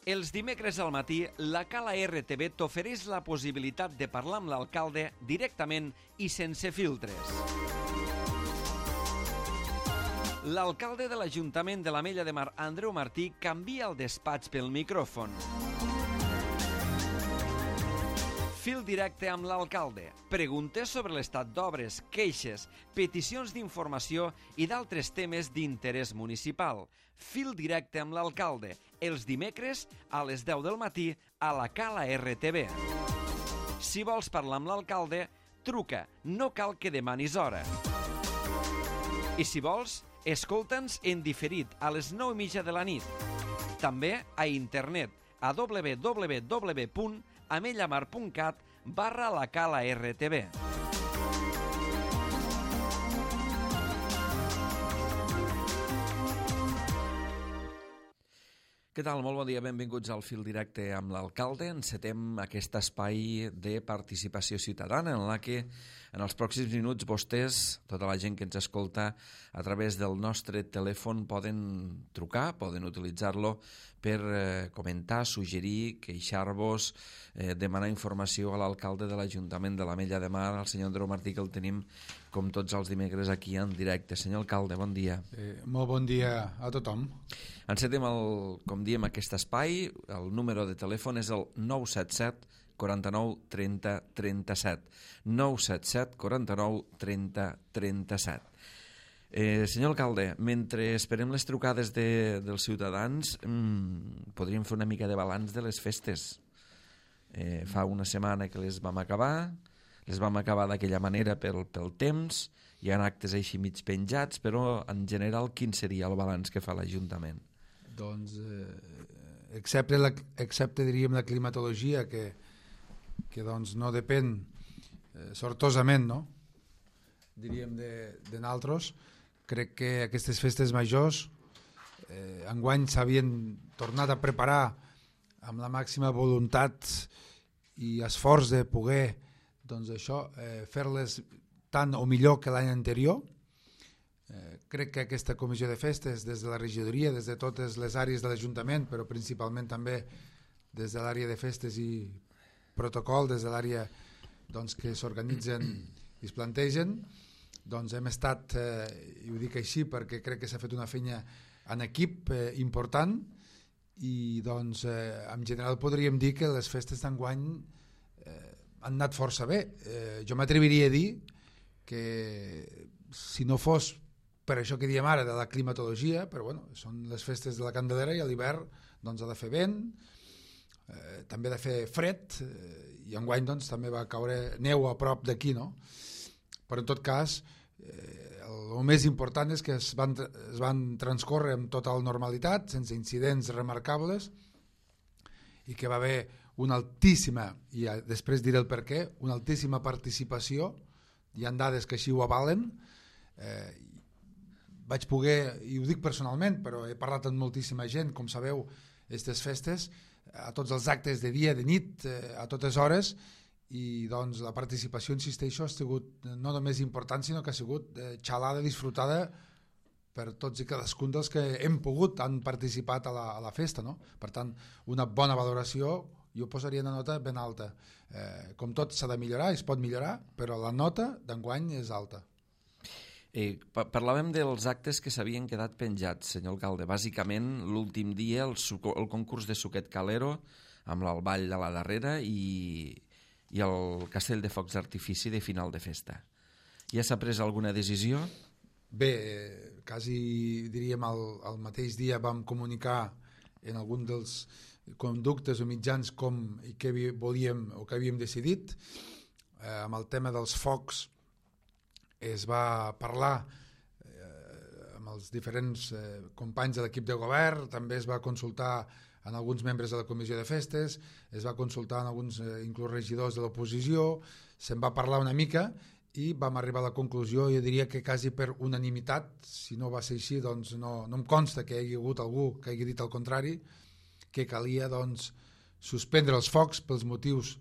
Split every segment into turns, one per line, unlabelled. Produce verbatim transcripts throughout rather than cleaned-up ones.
Els dimecres al matí, la Cala R T V t'ofereix la possibilitat de parlar amb l'alcalde directament i sense filtres. L'alcalde de l'Ajuntament de l'Ametlla de Mar, Andreu Martí, canvia el despatx pel micròfon. Fil directe amb l'alcalde. Preguntes sobre l'estat d'obres, queixes, peticions d'informació i d'altres temes d'interès municipal. Fil directe amb l'alcalde. Els dimecres a les deu del matí a la Cala R T V. Si vols parlar amb l'alcalde, truca. No cal que demanis hora. I si vols, escolta'ns en diferit a les nou i mitja de la nit. També a internet a w w w punt amellamar punt cat barra la Cala R T V. Què tal? Molt bon dia, benvinguts al Fil Directe amb l'alcalde. Encetem aquest espai de participació ciutadana en la que en els pròxims minuts vostès, tota la gent que ens escolta a través del nostre telèfon, poden trucar, poden utilitzar-lo per eh, comentar, suggerir, queixar-vos, eh, demanar informació a l'alcalde de l'Ajuntament de l'Ametlla de Mar, el senyor Andreu Martí, que el tenim com tots els dimecres aquí en directe. Senyor alcalde, bon dia.
Eh, molt bon dia a tothom.
Encetem, el, com diem, aquest espai. El número de telèfon és el nou set set quaranta-nou trenta trenta-set. nou set set quaranta-nou trenta trenta-set. Eh, senyor alcalde, mentre esperem les trucades de, dels ciutadans, mmm, podríem fer una mica de balanç de les festes. Eh, fa una setmana que les vam acabar, les vam acabar d'aquella manera pel, pel temps, hi ha actes així mig penjats, però en general quin seria el balanç que fa l'Ajuntament?
Doncs, eh, excepte, la, excepte diríem la climatologia, que, que doncs no depèn eh, sortosament, no? Diríem de, de naltros, crec que aquestes festes majors eh, enguany s'havien tornat a preparar amb la màxima voluntat i esforç de poder doncs això, eh, fer-les tant o millor que l'any anterior. Eh, crec que aquesta comissió de festes, des de la regidoria, des de totes les àrees de l'Ajuntament, però principalment també des de l'àrea de festes i protocol, des de l'àrea doncs, que s'organitzen i es plantegen, doncs hem estat, eh, i ho dic així perquè crec que s'ha fet una feina en equip eh, important i doncs eh, en general podríem dir que les festes d'enguany eh, han anat força bé. Eh, jo m'atreviria a dir que si no fos per això que diem ara de la climatologia, però bueno, són les festes de la Candelera i a l'hivern doncs ha de fer vent, eh, també ha de fer fred eh, i enguany doncs també va caure neu a prop d'aquí, no? Però en tot cas eh, el més important és que es van, es van transcórrer amb total normalitat, sense incidents remarcables i que va haver una altíssima, i després diré el per què, una altíssima participació, hi ha dades que així ho avalen. Eh, vaig poder, i ho dic personalment, però he parlat amb moltíssima gent, com sabeu, aquestes festes, a tots els actes de dia, de nit, eh, a totes hores, i doncs la participació, insisteixo, ha sigut no només important, sinó que ha sigut eh, xalada, disfrutada per tots i cadascun dels que hem pogut, han participat a la, a la festa, no? Per tant, una bona valoració, jo posaria una nota ben alta. Eh, com tot s'ha de millorar, es pot millorar, però la nota d'enguany és alta.
Eh, parlàvem dels actes que s'havien quedat penjats, senyor alcalde. Bàsicament, l'últim dia, el, el concurs de Suquet Calero, amb l'Alball de la darrera i, i el castell de focs d'artifici de final de festa. Ja s'ha pres alguna decisió?
Bé, eh, quasi diríem el, el mateix dia vam comunicar en algun dels conductes o mitjans com i què volíem o què havíem decidit. Eh, amb el tema dels focs es va parlar eh, amb els diferents eh, companys de l'equip de govern, també es va consultar en alguns membres de la comissió de festes, es va consultar en alguns eh, inclús regidors de l'oposició, se'n va parlar una mica i vam arribar a la conclusió, jo diria que quasi per unanimitat, si no va ser així, doncs no, no em consta que hi hagi hagut algú que hagi dit el contrari, que calia doncs, suspendre els focs pels motius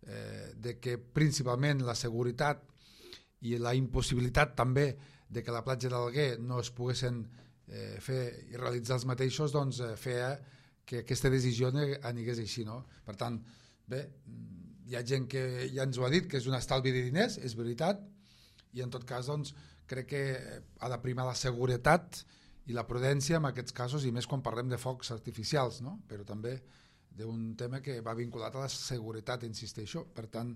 eh, de que principalment la seguretat i la impossibilitat també de que la platja d'Alguer no es poguessin eh, fer i realitzar els mateixos, doncs eh, feia que aquesta decisió anigués així, no? Per tant, bé, hi ha gent que ja ens ho ha dit, que és un estalvi de diners, és veritat, i en tot cas, doncs, crec que ha de primar la seguretat i la prudència en aquests casos, i més quan parlem de focs artificials, no? Però també d'un tema que va vinculat a la seguretat, insisteixo. Per tant,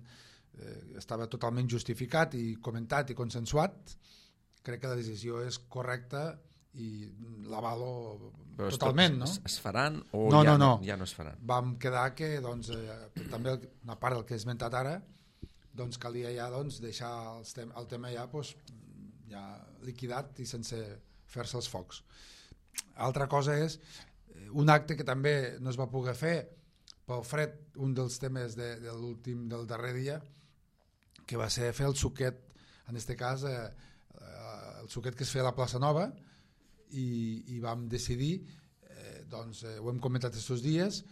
eh, estava totalment justificat i comentat i consensuat. Crec que la decisió és correcta i l'avalo totalment, no?
Es, es faran o
no,
ja,
no, no.
ja no es faran?
Vam quedar que, doncs, eh, també una part del que he esmentat ara, doncs calia ja doncs, deixar els tem el tema ja, doncs, ja liquidat i sense fer-se els focs. Altra cosa és un acte que també no es va poder fer pel fred, un dels temes de, de l'últim del darrer dia, que va ser fer el suquet, en aquest cas eh, el suquet que es feia a la plaça Nova, i, i vam decidir, eh, doncs eh, ho hem comentat aquests dies,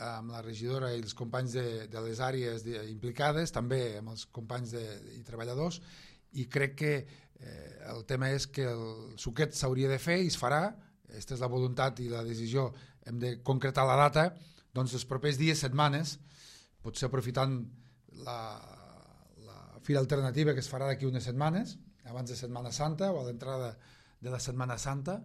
amb la regidora i els companys de, de les àrees de, implicades, també amb els companys de, i treballadors, i crec que eh, el tema és que el suquet s'hauria de fer i es farà. Aquesta és la voluntat i la decisió, hem de concretar la data, doncs els propers dies, setmanes, potser aprofitant la, la fira alternativa que es farà d'aquí unes setmanes, abans de Setmana Santa o a l'entrada de la Setmana Santa,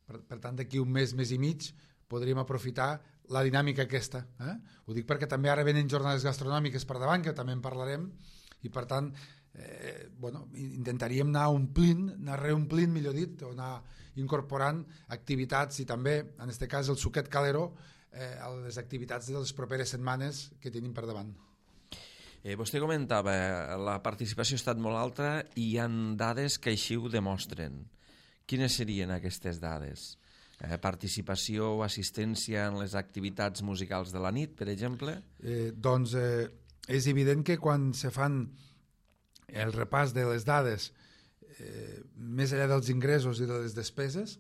per, per tant d'aquí un mes, mes i mig, podríem aprofitar la dinàmica aquesta. Eh? Ho dic perquè també ara venen jornades gastronòmiques per davant, que també en parlarem, i per tant eh, bueno, intentaríem anar omplint, anar reomplint, millor dit, o anar incorporant activitats i també, en aquest cas, el suquet calero eh, a les activitats de les properes setmanes que tenim per davant.
Eh, vostè comentava, la participació ha estat molt alta i hi ha dades que així ho demostren. Quines serien aquestes dades? Eh, participació o assistència en les activitats musicals de la nit, per exemple?
Eh, doncs eh, és evident que quan se fan el repàs de les dades eh, més enllà dels ingressos i de les despeses,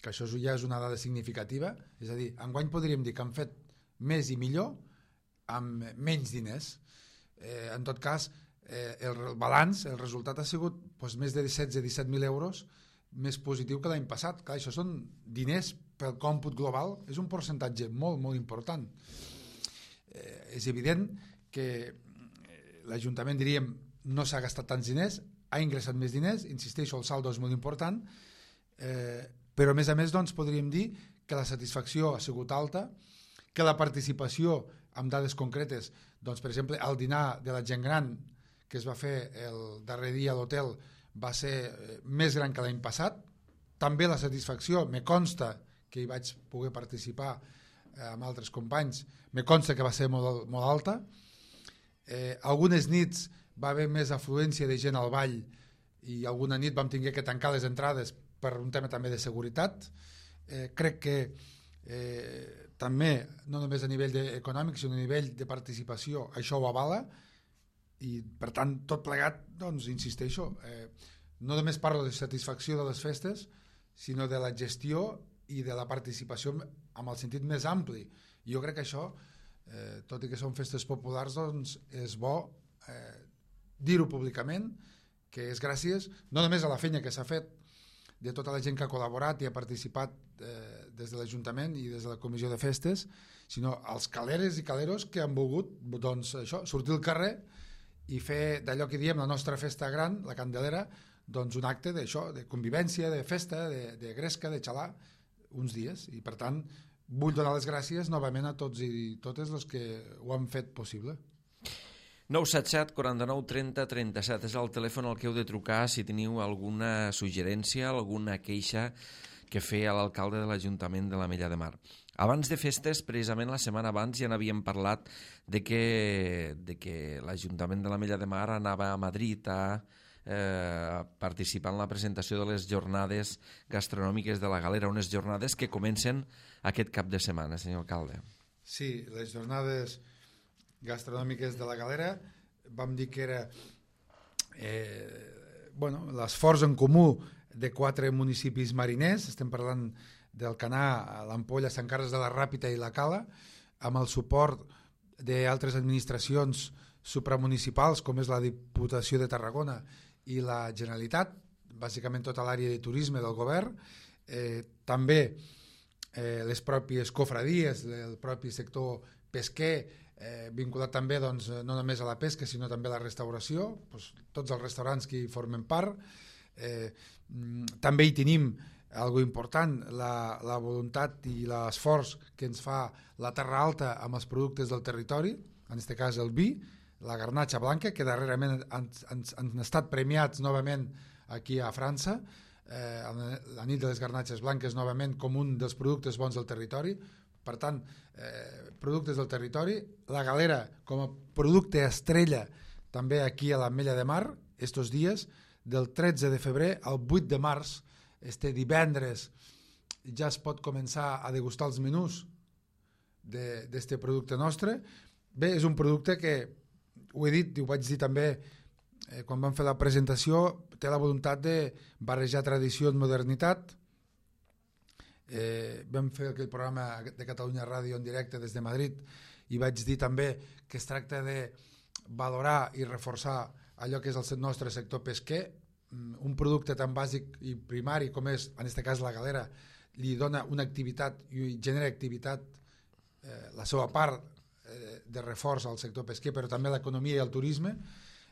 que això ja és una dada significativa, és a dir, enguany podríem dir que han fet més i millor amb menys diners. Eh, en tot cas, eh, el balanç, el resultat ha sigut doncs, més de setze a disset mil euros més positiu que l'any passat. Clar, això són diners pel còmput global, és un percentatge molt, molt important. Eh, és evident que l'Ajuntament, diríem, no s'ha gastat tants diners, ha ingressat més diners, insisteixo, el saldo és molt important, eh, però a més a més doncs, podríem dir que la satisfacció ha sigut alta, que la participació amb dades concretes, doncs, per exemple, el dinar de la gent gran que es va fer el darrer dia a l'hotel va ser més gran que l'any passat. També la satisfacció, me consta que hi vaig poder participar eh, amb altres companys, me consta que va ser molt, molt alta. Eh, algunes nits va haver més afluència de gent al ball i alguna nit vam tenir que tancar les entrades per un tema també de seguretat. Eh, crec que eh, també, no només a nivell econòmic, sinó a nivell de participació, això ho avala, i per tant tot plegat, doncs insisteixo, eh, no només parlo de satisfacció de les festes, sinó de la gestió i de la participació amb el sentit més ampli. I jo crec que això, eh, tot i que són festes populars, doncs és bo eh, dir-ho públicament, que és gràcies no només a la feina que s'ha fet de tota la gent que ha col·laborat i ha participat eh, des de l'Ajuntament i des de la Comissió de Festes, sinó als caleres i caleros que han volgut doncs, això, sortir al carrer i fer d'allò que diem la nostra festa gran, la Candelera, doncs un acte d'això, de convivència, de festa, de, de gresca, de xalar, uns dies. I per tant, vull donar les gràcies novament a tots i totes els que ho han fet possible.
nou set set, quaranta-nou, trenta, trenta-set és el telèfon al que heu de trucar si teniu alguna suggerència, alguna queixa que fer a l'alcalde de l'Ajuntament de l'Ametlla de Mar. Abans de festes, precisament la setmana abans, ja n'havíem parlat de que, de que l'Ajuntament de l'Ametlla de Mar anava a Madrid a eh, participar en la presentació de les jornades gastronòmiques de la Galera, unes jornades que comencen aquest cap de setmana, senyor alcalde.
Sí, les jornades gastronòmiques de la Galera, vam dir que era eh, bueno, l'esforç en comú de quatre municipis mariners, estem parlant del Canà, l'Ampolla, Sant Carles de la Ràpita i la Cala, amb el suport d'altres administracions supramunicipals com és la Diputació de Tarragona i la Generalitat, bàsicament tota l'àrea de turisme del govern, eh, també eh, les pròpies cofradies, el propi sector pesquer, eh, vinculat també doncs, no només a la pesca sinó també a la restauració, doncs, tots els restaurants que hi formen part. Eh, també hi tenim algo important, la, la voluntat i l'esforç que ens fa la Terra Alta amb els productes del territori, en aquest cas el vi, la garnatxa blanca, que darrerament han, han, han estat premiats novament aquí a França, eh, la nit de les garnatxes blanques novament com un dels productes bons del territori. Per tant, eh, productes del territori, la galera com a producte estrella també aquí a l'Ametlla de Mar, estos dies, del tretze de febrer al vuit de març, este divendres, ja es pot començar a degustar els menús d'aquest producte nostre. Bé, és un producte que, ho he dit i ho vaig dir també eh, quan vam fer la presentació, té la voluntat de barrejar tradició amb modernitat. Eh, vam fer aquell programa de Catalunya Ràdio en directe des de Madrid i vaig dir també que es tracta de valorar i reforçar allò que és el nostre sector pesquer. Un producte tan bàsic i primari com és, en aquest cas, la galera, li dona una activitat i genera activitat, eh, la seva part eh, de reforç al sector pesquer, però també l'economia i el turisme.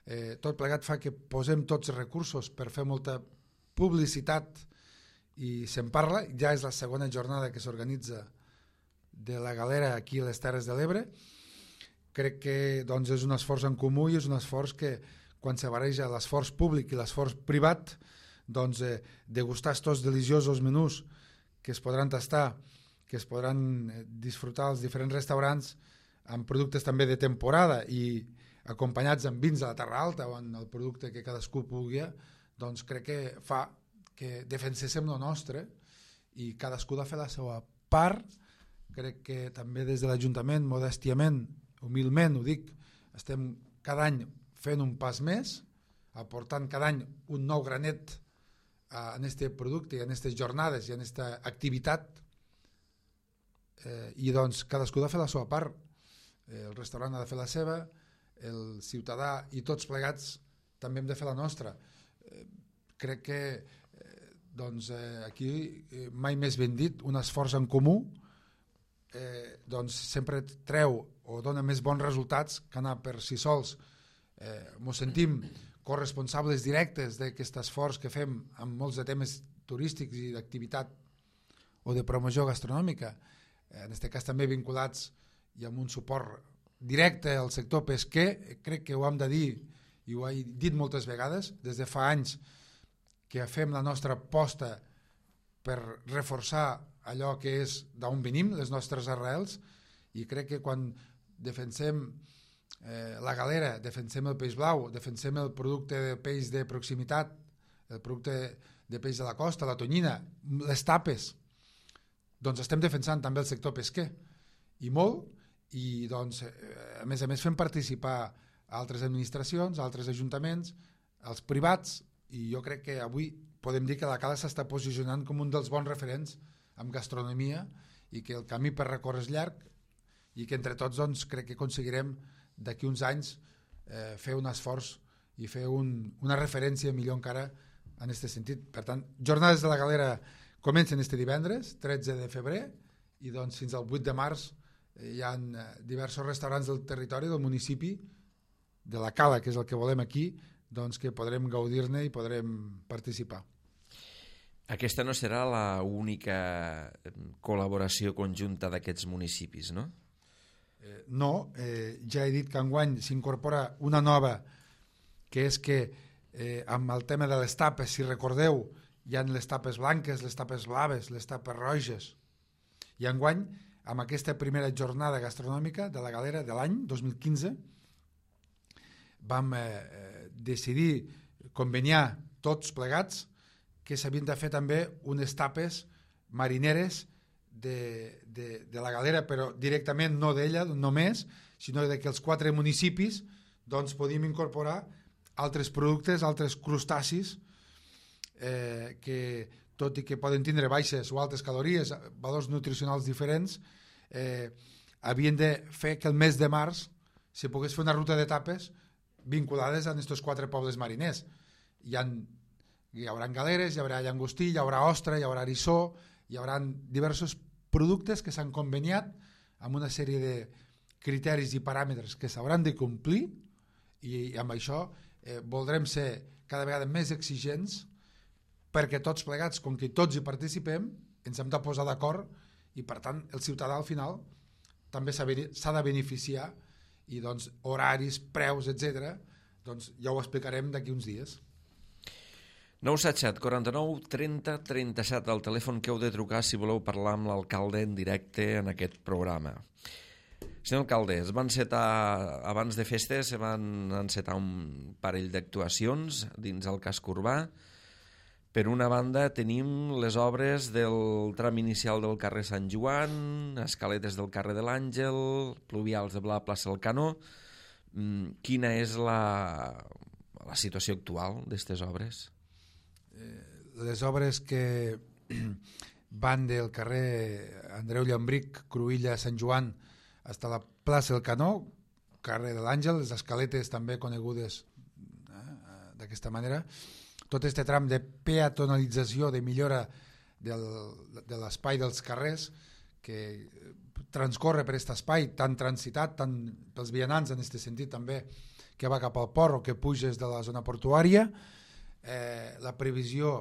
Eh, tot plegat fa que posem tots els recursos per fer molta publicitat i se'n parla. Ja és la segona jornada que s'organitza de la galera aquí a les Terres de l'Ebre. Crec que doncs, és un esforç en comú i és un esforç que quan se barreja l'esforç públic i l'esforç privat, doncs eh, degustar estos deliciosos menús que es podran tastar, que es podran eh, disfrutar als diferents restaurants amb productes també de temporada i acompanyats amb vins de la Terra Alta o en el producte que cadascú pugui, doncs crec que fa que defenséssim lo nostre i cadascú ha de fer la seva part. Crec que també des de l'Ajuntament, modèstiament, humilment ho dic, estem cada any fent un pas més, aportant cada any un nou granet uh, en aquest producte i en aquestes jornades i en aquesta activitat, eh, i doncs cadascú ha de fer la seva part. Eh, el restaurant ha de fer la seva, el ciutadà i tots plegats també hem de fer la nostra. Eh, crec que eh, doncs, eh, aquí eh, mai més ben dit, un esforç en comú eh, doncs sempre treu o dona més bons resultats que anar per si sols. Eh, mos sentim corresponsables directes d'aquest esforç que fem amb molts de temes turístics i d'activitat o de promoció gastronòmica, eh, en aquest cas també vinculats i amb un suport directe al sector pesquer. Crec que ho hem de dir i ho he dit moltes vegades, des de fa anys que fem la nostra aposta per reforçar allò que és d'on venim, les nostres arrels, i crec que quan defensem Eh, la galera, defensem el peix blau, defensem el producte de peix de proximitat, el producte de peix de la costa, la tonyina, les tapes, doncs estem defensant també el sector pesquer i molt, i doncs eh, a més a més fem participar altres administracions, altres ajuntaments, els privats, i jo crec que avui podem dir que la Cala s'està posicionant com un dels bons referents en gastronomia i que el camí per recórrer és llarg i que entre tots doncs, crec que aconseguirem d'aquí uns anys eh, fer un esforç i fer un, una referència millor encara en aquest sentit. Per tant, jornades de la galera comencen este divendres, tretze de febrer, i doncs fins al vuit de març eh, hi ha diversos restaurants del territori, del municipi, de la Cala, que és el que volem aquí, doncs que podrem gaudir-ne i podrem participar.
Aquesta no serà l'única col·laboració conjunta d'aquests municipis, no?
Eh, no, eh, ja he dit que enguany s'incorpora una nova, que és que eh, amb el tema de les tapes, si recordeu, hi ha les tapes blanques, les tapes blaves, les tapes roges, i enguany amb aquesta primera jornada gastronòmica de la galera de l'any dos mil quinze vam eh, decidir conveniar tots plegats que s'havien de fer també unes tapes marineres De, de, de la galera, però directament no d'ella només, sinó de que els quatre municipis doncs podíem incorporar altres productes, altres crustacis eh, que tot i que poden tindre baixes o altes calories, valors nutricionals diferents, eh, havien de fer que el mes de març se pogués fer una ruta d'etapes vinculades a aquests quatre pobles mariners. Hi, ha, hi haurà galeres, hi haurà llangostí, hi haurà ostra, hi haurà eriçó, hi haurà diversos productes que s'han conveniat amb una sèrie de criteris i paràmetres que s'hauran de complir, i amb això eh, voldrem ser cada vegada més exigents, perquè tots plegats, com que tots hi participem, ens hem de posar d'acord, i per tant el ciutadà al final també s'ha de beneficiar, i doncs horaris, preus, etcètera, doncs ja ho explicarem d'aquí uns dies.
nou set set quaranta-nou trenta trenta-set, el telèfon que heu de trucar si voleu parlar amb l'alcalde en directe en aquest programa. Senyor alcalde, es van encetar, abans de festes, se van encetar un parell d'actuacions dins el casc urbà. Per una banda tenim les obres del tram inicial del carrer Sant Joan, escaletes del carrer de l'Àngel, pluvials de la plaça del Canó. Quina és la, la situació actual d'aquestes obres?
Les obres que van del carrer Andreu Llambric, Cruïlla, Sant Joan, fins a la plaça del Canó, carrer de l'Àngel, les escaletes també conegudes eh, d'aquesta manera. Tot aquest tram de peatonalització, de millora del, de l'espai dels carrers, que transcorre per aquest espai tan transitat, tant pels vianants en aquest sentit també, que va cap al port o que puges de la zona portuària, eh, la previsió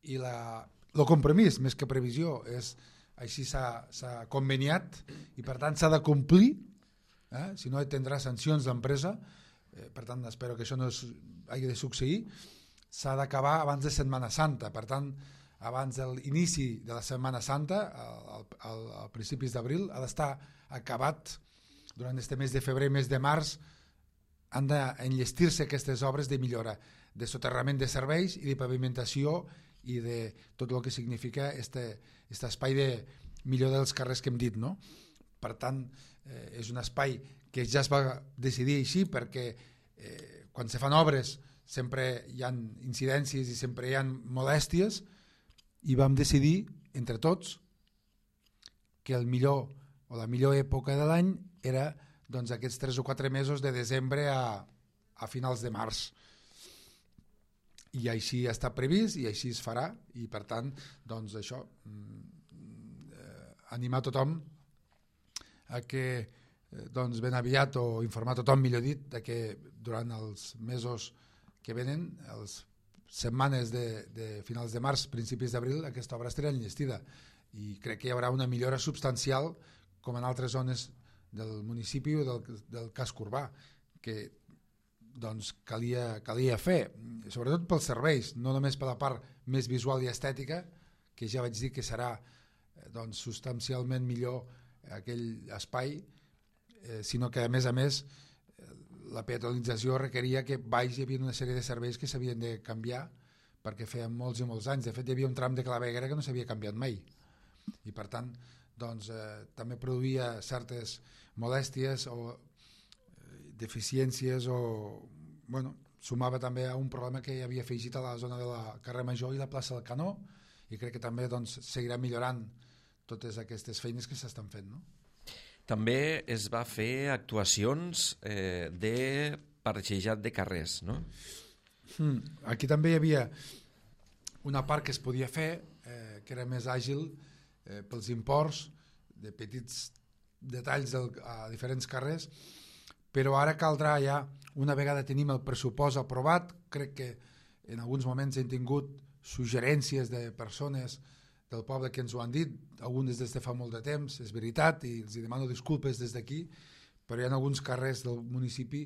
i la, el compromís, més que previsió, és així s'ha conveniat i per tant s'ha de complir, eh? Si no tindrà sancions d'empresa, eh, per tant espero que això no es, hagi de succeir. S'ha d'acabar abans de Setmana Santa, per tant abans de l'inici de la Setmana Santa, al, al, al principis d'abril, ha d'estar acabat. Durant este mes de febrer i mes de març han d'enllestir-se aquestes obres de millora, de soterrament de serveis i de pavimentació i de tot el que significa este, este espai de millora dels carrers que hem dit, no? Per tant, eh, és un espai que ja es va decidir així perquè eh, quan se fan obres sempre hi ha incidències i sempre hi ha molèsties, i vam decidir entre tots que el millor o la millor època de l'any era doncs, aquests tres o quatre mesos de desembre a, a finals de març. I així està previst i així es farà, i per tant doncs això, eh, animar tothom a que eh, doncs ben aviat, o informar tothom millor dit, de que durant els mesos que venen, les setmanes de, de finals de març, principis d'abril, aquesta obra estarà enllestida, i crec que hi haurà una millora substancial com en altres zones del municipi o del, del casc urbà, que doncs calia, calia fer, sobretot pels serveis, no només per la part més visual i estètica, que ja vaig dir que serà doncs, substancialment millor aquell espai, eh, sinó que a més a més la peatonalització requeria que baix hi havia una sèrie de serveis que s'havien de canviar, perquè feien molts i molts anys. De fet, hi havia un tram de claveguera que no s'havia canviat mai, i per tant doncs, eh, també produïa certes molèsties o eh, deficiències, o bueno, sumava també a un problema que hi havia afegit a la zona de la carrer Major i la plaça del Canó, i crec que també doncs, seguirà millorant totes aquestes feines que s'estan fent, no?
També es va fer actuacions eh, de parxejat de carrers, no?
Mm, aquí també hi havia una part que es podia fer, eh, que era més àgil eh, pels imports, de petits detalls del, a diferents carrers, però ara caldrà ja, una vegada tenim el pressupost aprovat, crec que en alguns moments hem tingut suggerències de persones del poble que ens ho han dit, algunes des de fa molt de temps, és veritat, i els demano disculpes des d'aquí, però hi ha alguns carrers del municipi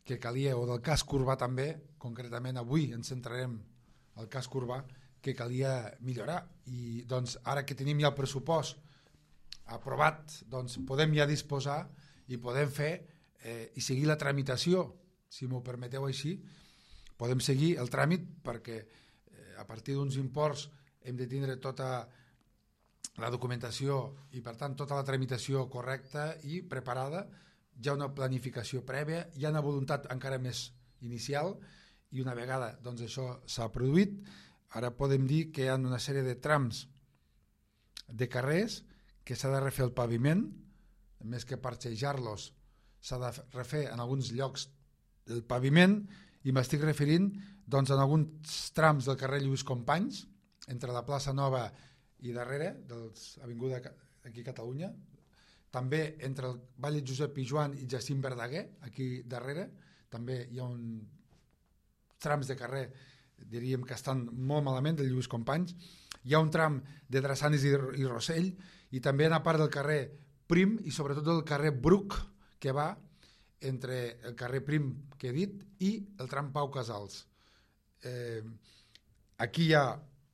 que calia, o del casc urbà també, concretament avui ens centrarem al casc urbà, que calia millorar, i doncs ara que tenim ja el pressupost aprovat, doncs podem ja disposar i podem fer eh, i seguir la tramitació, si m'ho permeteu així, podem seguir el tràmit, perquè eh, a partir d'uns imports hem de tindre tota la documentació i per tant tota la tramitació correcta i preparada, hi ha una planificació prèvia, hi ha una voluntat encara més inicial, i una vegada doncs, això s'ha produït, ara podem dir que hi ha una sèrie de trams de carrers que s'ha de refer el paviment, més que parxejar-los s'ha de refer en alguns llocs el paviment, i m'estic referint doncs, en alguns trams del carrer Lluís Companys, entre la plaça Nova i darrere, dels Avinguda aquí a Catalunya. També entre el Vall de Josep Pijuan i Jacint Verdaguer, aquí darrere, també hi ha un trams de carrer, diríem que estan molt malament, de Lluís Companys. Hi ha un tram de Drassanes i, i Rossell, i també una part del carrer Prim i sobretot del carrer Bruc, que va entre el carrer Prim que he dit i el tram Pau Casals. Eh, aquí hi ha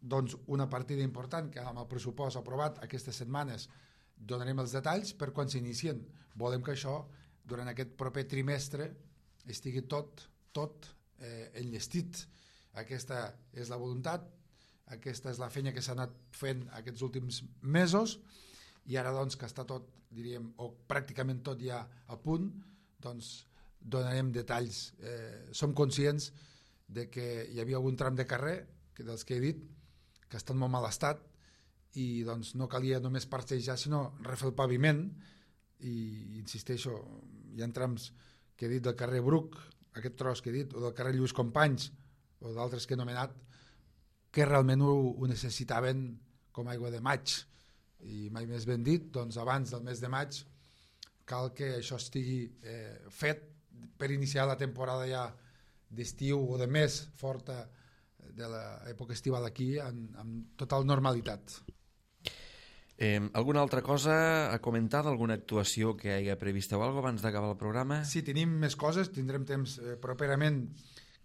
doncs, una partida important que amb el pressupost aprovat aquestes setmanes donarem els detalls per quan s'inicien. Volem que això durant aquest proper trimestre estigui tot, tot eh, enllestit. Aquesta és la voluntat, aquesta és la feina que s'ha anat fent aquests últims mesos i ara doncs que està tot, diríem, o pràcticament tot ja a punt, doncs donarem detalls. Eh, som conscients de que hi havia algun tram de carrer, que dels que he dit, que estan molt mal estat i doncs no calia només parcejar, sinó refer el paviment i insisteixo, hi ha trams que he dit del carrer Bruc, aquest tros que he dit, o del carrer Lluís Companys o d'altres que he nomenat, que realment ho, ho necessitaven com aigua de maig i mai més ben dit, doncs abans del mes de maig cal que això estigui eh, fet per iniciar la temporada ja d'estiu o de més forta de l'època estival aquí en, en total normalitat.
Eh, alguna altra cosa a comentar d'alguna actuació que hi hagi prevista o alguna cosa abans d'acabar el programa?
Sí, tenim més coses, tindrem temps eh, properament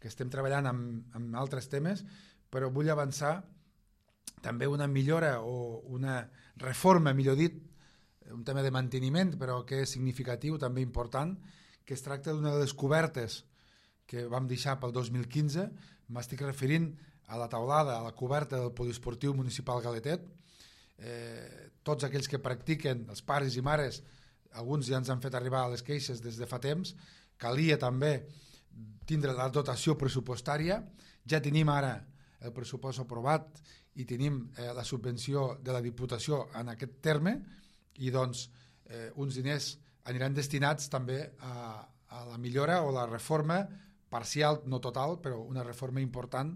que estem treballant amb, amb altres temes, però vull avançar també una millora o una reforma, millor dit, un tema de manteniment, però que és significatiu, també important, que es tracta d'una de les cobertes que vam deixar pel dos mil quinze, m'estic referint a la taulada, a la coberta del poliesportiu municipal Galetet. Eh, tots aquells que practiquen, els pares i mares, alguns ja ens han fet arribar les queixes des de fa temps, calia també tindre la dotació pressupostària, ja tenim ara el pressupost aprovat i tenim eh, la subvenció de la Diputació en aquest terme i doncs eh, uns diners aniran destinats també a, a la millora o la reforma parcial, no total, però una reforma important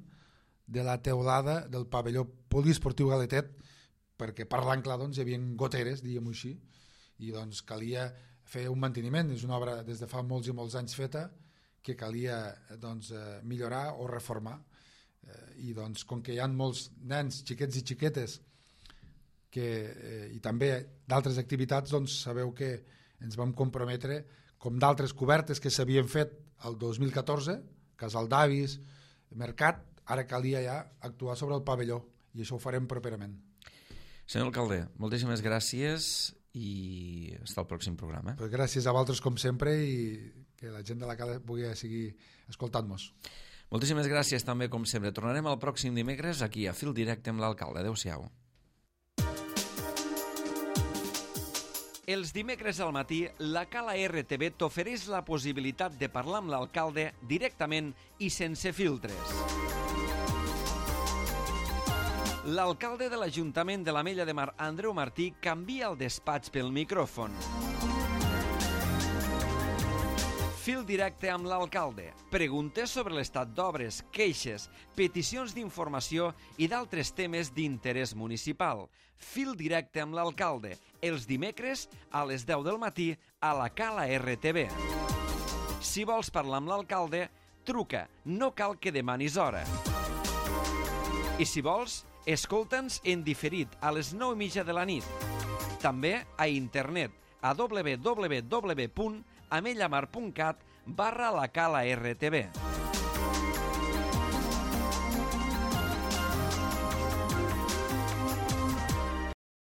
de la teulada del pavelló poliesportiu Galetet, perquè parlant clar doncs, hi havia goteres, diguem-ho així, i doncs calia fer un manteniment. És una obra des de fa molts i molts anys feta que calia doncs, millorar o reformar. I doncs, com que hi ha molts nens, xiquets i xiquetes que, eh, i també d'altres activitats, doncs sabeu que ens vam comprometre, com d'altres cobertes que s'havien fet el dos mil catorze, Casal d'Avis, Mercat, ara calia ja actuar sobre el pavelló i això ho farem properament.
Senyor alcalde, moltíssimes gràcies i fins al pròxim programa.
Pues gràcies a vosaltres com sempre i que la gent de la Cala pugui seguir escoltant-nos.
Moltíssimes gràcies també com sempre. Tornarem el pròxim dimecres aquí a Fil Directe amb l'alcalde. Adéu-siau. Els dimecres al matí, la Cala R T V t'ofereix la possibilitat de parlar amb l'alcalde directament i sense filtres. L'alcalde de l'Ajuntament de l'Ametlla de Mar, Andreu Martí, canvia el despatx pel micròfon. Fil directe amb l'alcalde. Preguntes sobre l'estat d'obres, queixes, peticions d'informació i d'altres temes d'interès municipal. Fil directe amb l'alcalde. Els dimecres a les deu del matí a la Cala R T V. Si vols parlar amb l'alcalde, truca. No cal que demanis hora. I si vols, escolta'ns en diferit a les nou i mitja de la nit. També a internet a w w w punt amellamar punt cat barra la Cala R T V.